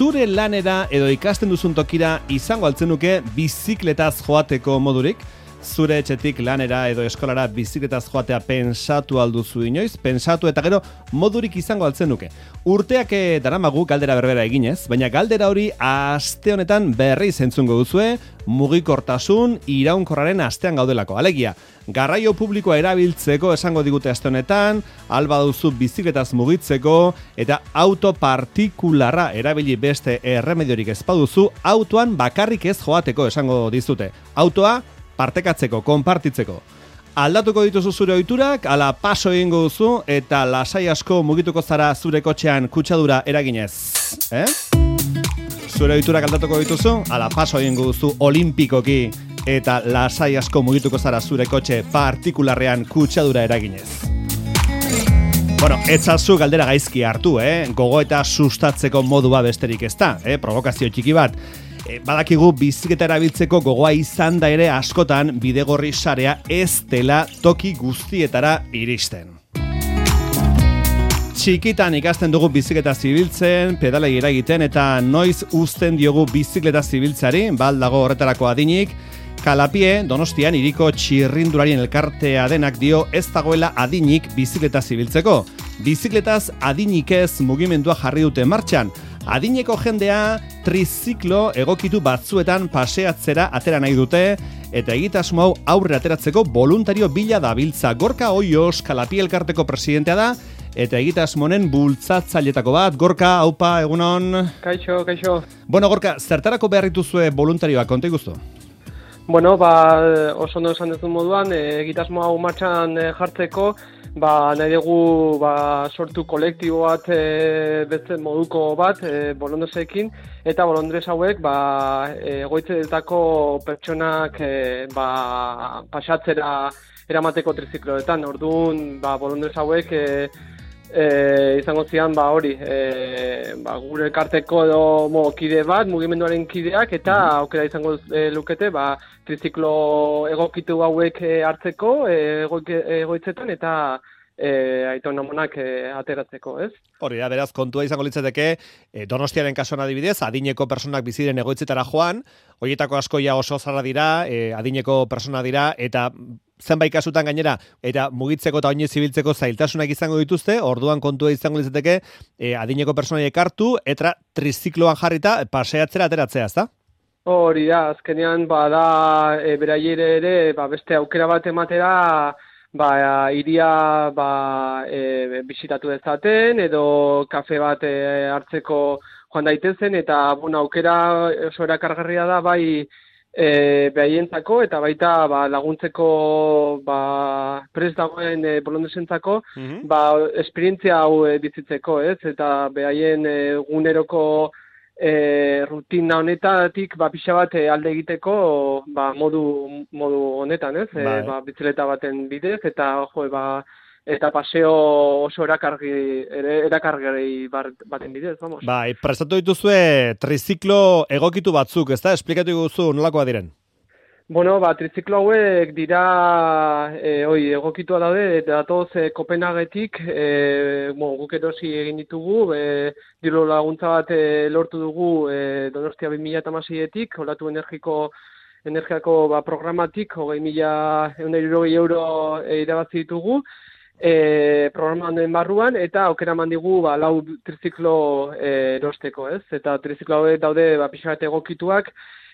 zure lanera edo ikasten duzun tokira izango altzenuke bizikletaz joateko modurik? Zure etxetik lanera edo eskolara bizikletaz joatea pensatu alduzu inoiz? Pensatu eta gero modurik izango altzenuke. Urteak daramagu galdera berbera eginez, baina galdera hori aste honetan berriz entzungo duzue, mugikortasun iraunkorraren astean gaudelako. Alegia, garraio publikoa erabiltzeko esango digute aste honetan, alba duzu bizikletaz mugitzeko eta auto partikularra erabili beste erremediorik ez baduzu, autoan bakarrik ez joateko esango dizute. Autoa partekatzeko, konpartitzeko. Aldatuko dituzu zure ohiturak, ala paso egingo duzu eta lasai asko mugituko zara zure kotxean kutsadura eraginez. Zure ohiturak aldatuko dituzu, ala paso egingo duzu olimpikoki eta lasai asko mugituko zara zure kotxe partikularrean kutsadura eraginez. Bueno, etzazu galdera gaizki hartu, gogo eta sustatzeko modua besterik ez da, provokazio txiki bat. Badakigu bizikleta erabiltzeko gogoa izan da ere askotan bidegorri sarea ez dela toki guztietara iristen. Txikitan ikasten dugu bizikleta zibiltzen, pedalei eragiten eta noiz uzten diogu bizikleta zibiltzari, baldago horretarako adinik. Kalapie, Donostian hiriko txirrindularien elkartea denak dio ez dagoela adinik bizikleta zibiltzeko. Bizikletaz adinik ez mugimendua jarri dute martxan. Adineko jendea triziklo egokitu batzuetan paseatzera atera nahi dute eta egitasmo hau aurre ateratzeko voluntario bila dabiltza. Gorka Oios Kalapie elkarteko presidentea da eta egitasmonen bultzatzailetako bat. Gorka, aupa, egunon. Kaixo, kaixo. Bueno, Gorka, zertarako behar dituzue voluntarioak, konta iguzu? Bueno, oso ondo esan duzun moduan, egitasmo hau martxan jartzeko, nahi dugu sortu kolektibo bat, beste moduko bat, bolondresekin, eta bolondres hauek egoitzetako pertsonak pasatzera eramateko trizikloetan. Orduan, bolondres hauek izango zian gure elkarteko edo kide bat, mugimenduaren kideak, eta aukera izango lukete triziklo egokitu hauek hartzeko egoitzetan eta Aiton Amonak ateratzeko, ez? Hori da, beraz, kontua izango litzateke, Donostiaren kasuan adibidez, adineko personak biziren egoitzetara joan, horietako asko ja oso zarra dira, adineko persona dira, eta zenbait kasutan gainera, eta mugitzeko eta oinez zibiltzeko zailtasunak izango dituzte, orduan kontua izango litzateke, adineko personaiek hartu, eta trizikloan jarrita paseatzera ateratzea, ezta? Hori da, azkenean beraiere ere beste aukera bat ematera, iria bisitatu dezaten edo kafe bat hartzeko joan daitezen eta aukera oso erakargarria da behaientzako eta baita laguntzeko prest dagoen bolondresentzako esperientzia hau bizitzeko, ez? Eta behaien eguneroko rutina honetatik pixa bat alde egiteko modu honetan, ez? Bizikleta baten bidez eta eta paseo oso erakargarri baten bidez, vamos. Prestatu dituzue triziklo egokitu batzuk, ezta? Esplikatu guzu nolakoa diren. Bueno, triziklo hauek dira egokitua daude, datoz Kopenhagetik, guk erosi egin ditugu, diru laguntza bat lortu dugu Donostia 2016etik, olatu energiako programatik, 20.160 euro irabazi ditugu, programa honen barruan, eta aukera eman digu 4 triziklo erosteko, ez? Eta triziklo hauek daude pixka bat egokituak,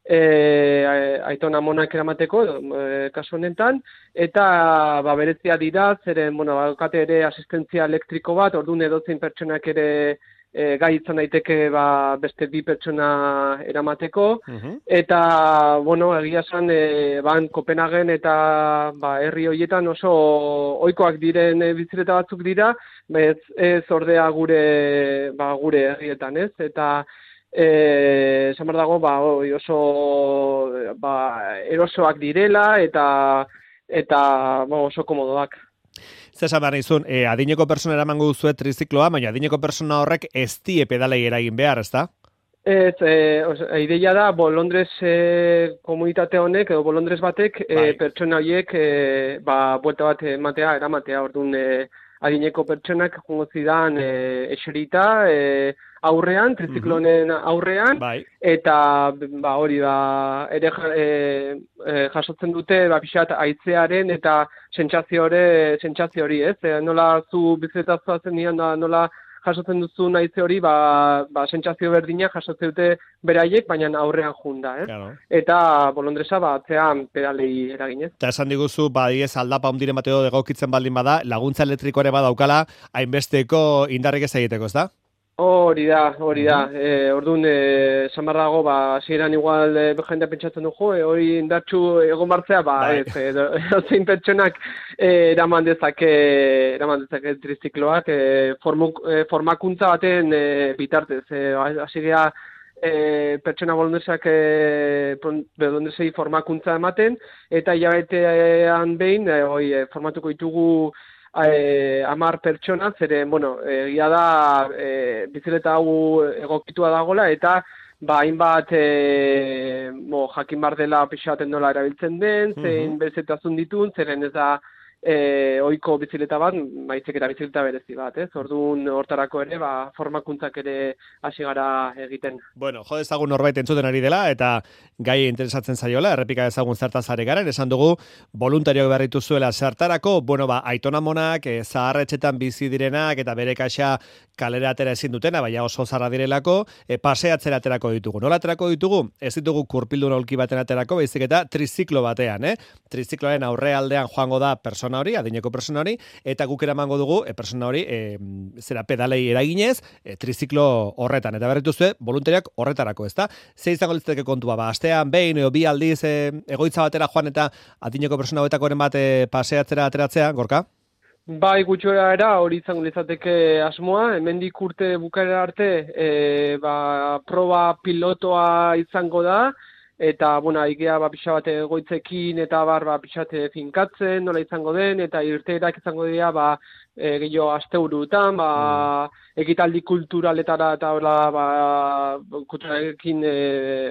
Aiton Amonak eramateko, kasu honetan, eta berezia dira, zeren, daukate ere asistentzia elektriko bat, orduan edozein pertsonak ere gai izan daiteke beste 2 pertsona eramateko, eta, egia esan, Kopenhagen eta herri horietan oso ohikoak diren bizikleta batzuk dira, ez ordea gure herrietan, ez? Eta esan behar dago, oso erosoak direla eta oso komodoak. Zesan behar nizun, adineko persona eramango duzuet trizikloa, baina adineko persona horrek ez die pedalei eragin behar, ezta? Ez, ideia da, Bolondres komunitate honek, edo Bolondres batek, pertsona horiek, buelta bat eramatea, orduan adineko pertsonak jongo zidan eserita, aurrean, triziklonen aurrean, eta hori ere jasotzen dute pixat haitzearen eta sentsazio hori, ez? Nola zu bizitza zoazen nian, nola jasotzen duzu haitze hori, sentsazio berdina jasotzen dute beraiek, baina aurrean junda, ez? Claro. Eta bolondresa atzean pedalei eraginez. Eta esan diguzu, badiez aldapa hundiren bateo egokitzen baldin bada, laguntza elektriko ere badaukala, hainbesteko indarrik ez egiteko, ez da? Hori da. Orduan, esan barrago, hasieran igual jendea pentsatzen du, hori indartxu egon martzea, zein pertsonak eraman dezake trizikloak, formakuntza baten bitartez. Hasiera pertsona bolondresei formakuntza ematen, eta hilabetean behin, formatuko ditugu 10 pertsona, zeren, egia da bizileta hau egokitua dagoela, eta hainbat jakin bar dela pixaten nola erabiltzen den, zein berezetazun ditun, zeren ez da ohiko bizileta bat, maitzek eta bizileta berezi bat, ez? Orduan hortarako ere, formakuntzak ere hasi gara egiten. Bueno, jo dezagun norbait entzuten ari dela, eta gai interesatzen zaiola, errepika dezagun zertaz ari garen, esan dugu, voluntarioak berritu zuela zertarako, aitona monak, zaharretxetan bizi direnak, eta bere kaxa kalera atera ezin dutena, baina oso zarra direlako, paseatzera aterako ditugu. Nola aterako ditugu? Ez ditugu kurpildun aulki baten aterako, baizik eta triziklo batean, Trizikloaren aurrealdean joango da persona hori, adineko persona hori, eta guk eramango dugu persona hori pedalei eraginez, triziklo horretan, eta berritu zuen, voluntariak horretarako, ezta? Ze izango litzateke kontua, astean behin edo bi aldiz egoitza batera joan eta adineko persona hauetakoren bat paseatzera ateratzea, Gorka? Bai, gutxora era, hori izango litzateke asmoa, hemendik urte bukaera arte, proba pilotoa izango da, eta, igea pixa bat egoitzekin eta pixa bat finkatzen, nola izango den, eta irteerak izango dira, gehiago asteurutan, ekitaldi kulturaletara eta kulturalekin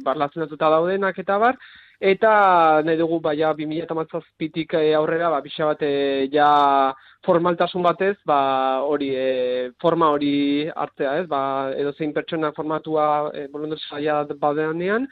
barlazenatuta daudenak eta eta nahi dugu, 2017tik aurrera, pixa bat ja formaltasun batez, forma hori hartzea, ez? Edo zein pertsona formatua bolondresaia badeanean,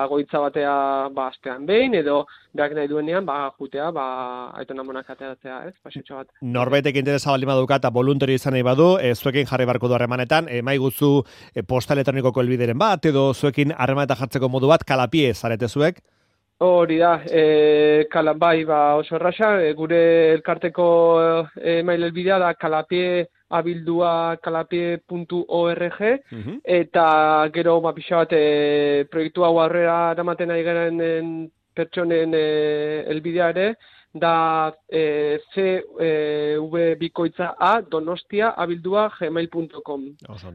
goitza batea astean behin, edo berak nahi duenean, jutea, aitona monak ateratzea, ez? Pasetxo bat. Norbaitek interesa baldin baduka eta voluntario izan nahi badu, zuekin jarri barko du harremanetan, maiguzu posta elektronikoko helbideren bat, edo zuekin harremanetan jartzeko modu bat, kalapie zarete zuek? Hori da, oso erraxa, gure elkarteko mail helbidea da kalapie.org, eta gero pixa bat proiektu hau aurrera eramaten ari garen pertsonen helbidea ere, da cvbikoitza@donostia@gmail.com. Oso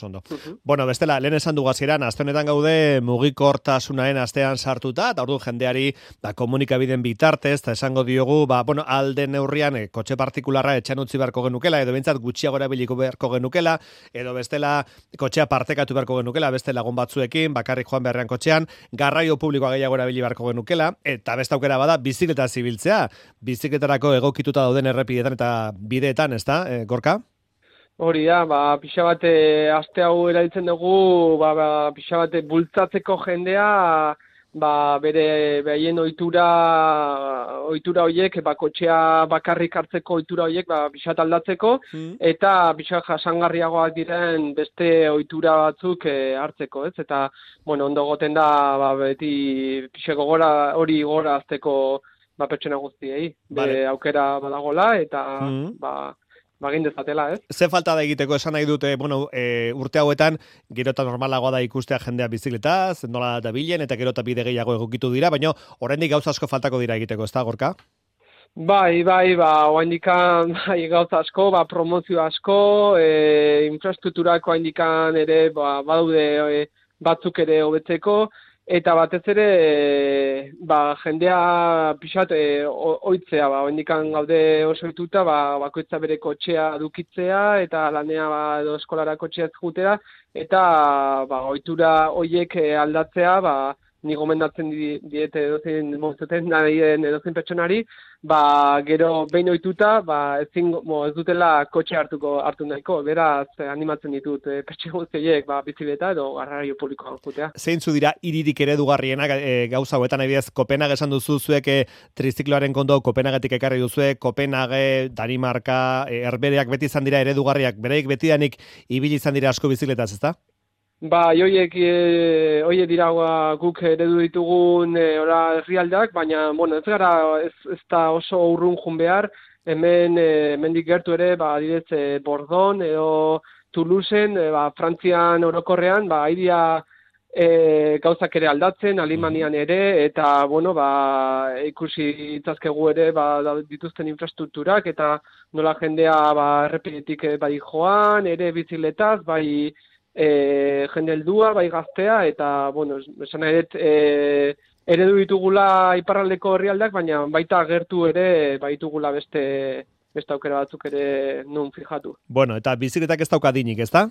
ondo. Bueno, bestela, lehen esan dugu hasieran, aste honetan gaude mugikortasunaren astean sartuta, eta ordu jendeari komunikabideen bitartez, eta esango diogu, alde neurrian kotxe partikularra etxan utzi beharko genukela, edo behintzat gutxiago erabiliko beharko genukela, edo bestela kotxea partekatu beharko genukela, beste lagun batzuekin, bakarrik joan beharrean kotxean, garraio publikoa gehiago erabili beharko genukela, eta beste aukera bada bizikleta zibiltzea, bizikletarako egokituta dauden errepidetan eta bideetan, ezta, Gorka? Hori da, pixa bat aste hau erabiltzen dugu, pixa bat bultzatzeko jendea, bere behaien ohitura horiek, kotxea bakarrik hartzeko ohitura horiek, pixat aldatzeko, eta pixat jasangarriagoak diren beste ohitura batzuk hartzeko, ez? Eta, ondo goten da, beti pixako hori gora azteko pertsona guztiei, aukera badagola, eta, egin dezatela, ez? Ze falta da egiteko, esan nahi dute, urte hauetan, gero eta normalagoa da ikustea jendea bizikletaz, nola dabilen, eta gero eta bide gehiago egokitu dira, baina oraindik gauza asko faltako dira egiteko, ez da, Gorka? Oraindik gauza asko, promozio asko, infrastrukturako oraindik ere, badaude batzuk ere hobetzeko, eta batez ere, jendea pixat ohitzea, oraindik gaude oso ohituta, bakoitza bere kotxea edukitzea, eta lanea edo eskolara kotxea jutera, eta ohitura horiek aldatzea, ni gomendatzen diete edozein mozeten nahien edozein pertsonari, gero behin ohituta, ez dutela kotxe hartu nahiko, beraz animatzen ditut pertsona guztiek bizikleta edo garraio publikoan joatea. Zeintzu dira hiririk eredugarrienak gauza hauetan, adibidez Kopenhague esan duzu zuek trizikloaren kondo Kopenhagetik ekarri duzue, Kopenhague, Danimarka, Herbehereak beti izan dira eredugarriak, bereik betidanik ibili izan dira asko bizikletaz, ezta? Hoiek dira guk eredu ditugun herrialdeak, baina ez da oso urrun jun behar, hemendik gertu ere, adibidez Bordon edo Toulouseen, Frantzian orokorrean, aidia gauzak ere aldatzen, Alemanian ere, eta ikusi itzazkegu ere dituzten infrastrukturak, eta nola jendea errepidetik bai joan, ere bizikletaz, bai jende heldua, bai gaztea, eta, esan eredu ditugula iparraldeko herrialdeak, baina baita gertu ere, ditugula beste aukera batzuk ere non fijatu. Eta bizikletak ez dauka dinik, ez da?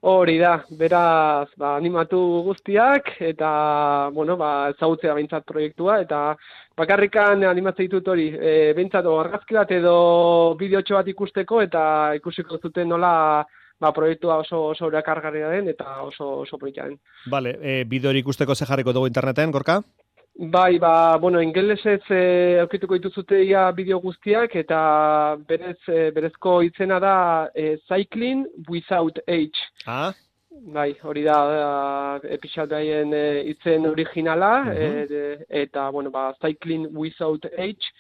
Hori da, beraz, animatu guztiak, eta, ezagutzea behintzat proiektua, eta bakarrikan animatzen ditut hori, behintzat argazki bat edo bideotxo bat ikusteko, eta ikusiko zuten nola proiektua oso erakargarria den eta oso polita den. Bale, bideo hori ikusteko ze jarriko dugu interneten, Gorka? Bai, ingelesez aurkituko dituzute bideo guztiak, eta berezko itzena da Cycling Without Age. Ah? Bai, hori da pixat daien itzen originala, eta, Cycling Without Age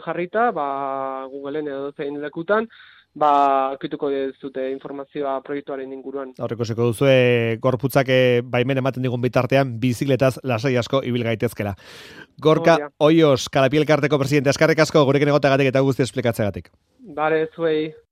jarrita, Googleen edo zein lekutan, aurkituko duzute informazioa proiektuaren inguruan. Horrekosiko duzue gorputzak baimen ematen digun bitartean bizikletaz lasai asko ibil gaitezkela. Gorka Oios, Kalapi elkarteko presidente, eskerrik asko gurekin egoteagatik eta guzti esplikatzeagatik. Bale, zuei.